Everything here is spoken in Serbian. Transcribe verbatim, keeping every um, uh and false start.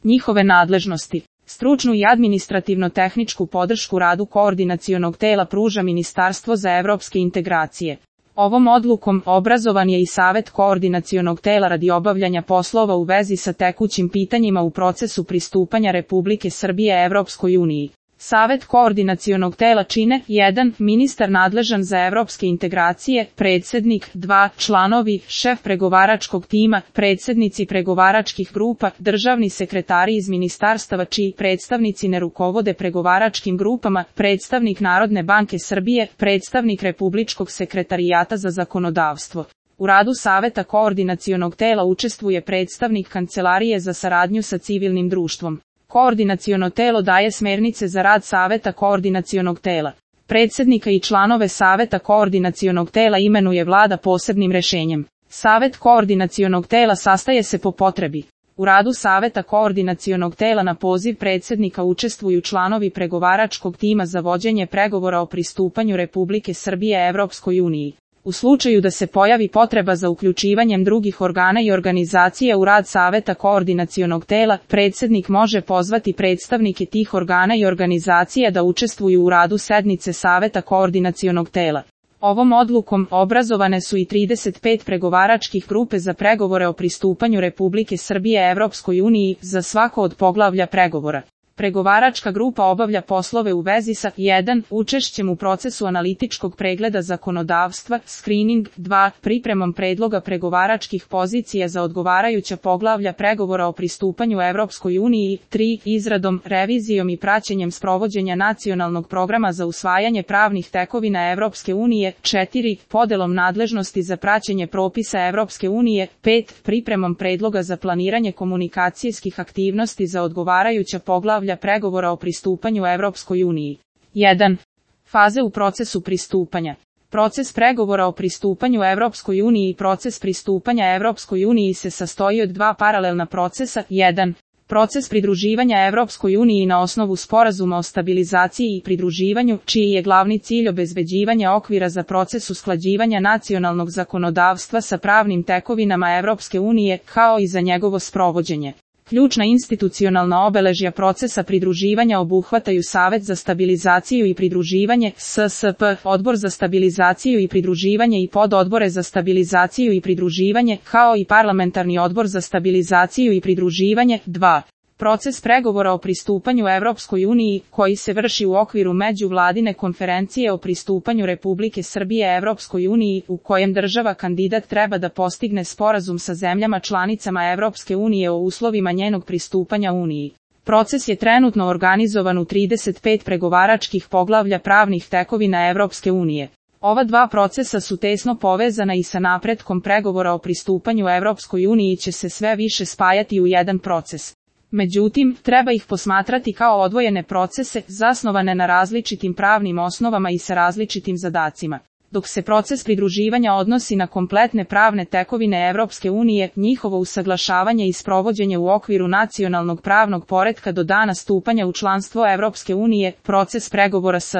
Njihove nadležnosti. Stručnu i administrativno-tehničku podršku radu koordinacionog tela pruža Ministarstvo za evropske integracije. Ovom odlukom obrazovan je i Savet koordinacionog tela radi obavljanja poslova u vezi sa tekućim pitanjima u procesu pristupanja Republike Srbije Evropskoj uniji. Savet koordinacionog tela čine jedan Ministar nadležan za evropske integracije, predsednik, dva Članovi, šef pregovaračkog tima, predsednici pregovaračkih grupa, državni sekretari iz ministarstava čiji predstavnici ne rukovode pregovaračkim grupama, predstavnik Narodne banke Srbije, predstavnik Republičkog sekretarijata za zakonodavstvo. U radu Saveta koordinacionog tela učestvuje predstavnik Kancelarije za saradnju sa civilnim društvom. Koordinaciono telo daje smernice za rad Saveta koordinacionog tela. Predsednika i članove Saveta koordinacionog tela imenuje Vlada posebnim rešenjem. Savet koordinacionog tela sastaje se po potrebi. U radu Saveta koordinacionog tela na poziv predsednika učestvuju članovi pregovaračkog tima za vođenje pregovora o pristupanju Republike Srbije Evropskoj uniji. U slučaju da se pojavi potreba za uključivanjem drugih organa i organizacija u rad Saveta koordinacionog tela, predsednik može pozvati predstavnike tih organa i organizacija da učestvuju u radu sednice Saveta koordinacionog tela. Ovom odlukom obrazovane su i trideset pet pregovaračkih grupe za pregovore o pristupanju Republike Srbije Evropskoj uniji za svako od poglavlja pregovora. Pregovaračka grupa obavlja poslove u vezi sa jedan Učešćem u procesu analitičkog pregleda zakonodavstva, screening, dva Pripremom predloga pregovaračkih pozicija za odgovarajuća poglavlja pregovora o pristupanju Evropskoj uniji, tri Izradom, revizijom i praćenjem sprovođenja nacionalnog programa za usvajanje pravnih tekovina Evropske unije, četiri Podelom nadležnosti za praćenje propisa Evropske unije, pet Pripremom predloga za planiranje komunikacijskih aktivnosti za odgovarajuća poglavlja pregovora o pristupanju Evropskoj uniji. jedan Faze u procesu pristupanja. Proces pregovora o pristupanju Evropskoj uniji i proces pristupanja Evropskoj uniji se sastoji od dva paralelna procesa. jedan Proces pridruživanja Evropskoj uniji na osnovu sporazuma o stabilizaciji i pridruživanju, čiji je glavni cilj obezbeđivanje okvira za proces usklađivanja nacionalnog zakonodavstva sa pravnim tekovinama Evropske unije, kao i za njegovo sprovođenje. Ključna institucionalna obeležja procesa pridruživanja obuhvataju Savet za stabilizaciju i pridruživanje, S S P, Odbor za stabilizaciju i pridruživanje i pododbore za stabilizaciju i pridruživanje, kao i Parlamentarni odbor za stabilizaciju i pridruživanje. dva Proces pregovora o pristupanju Evropskoj uniji, koji se vrši u okviru međuvladine konferencije o pristupanju Republike Srbije Evropskoj uniji, u kojem država kandidat treba da postigne sporazum sa zemljama članicama Evropske unije o uslovima njenog pristupanja Uniji. Proces je trenutno organizovan u trideset pet pregovaračkih poglavlja pravnih tekovina Evropske unije. Ova dva procesa su tesno povezana i sa napretkom pregovora o pristupanju Evropskoj uniji će se sve više spajati u jedan proces. Međutim, treba ih posmatrati kao odvojene procese, zasnovane na različitim pravnim osnovama i sa različitim zadacima. Dok se proces pridruživanja odnosi na kompletne pravne tekovine Evropske unije, njihovo usaglašavanje i sprovođenje u okviru nacionalnog pravnog poretka do dana stupanja u članstvo Evropske unije, proces pregovora s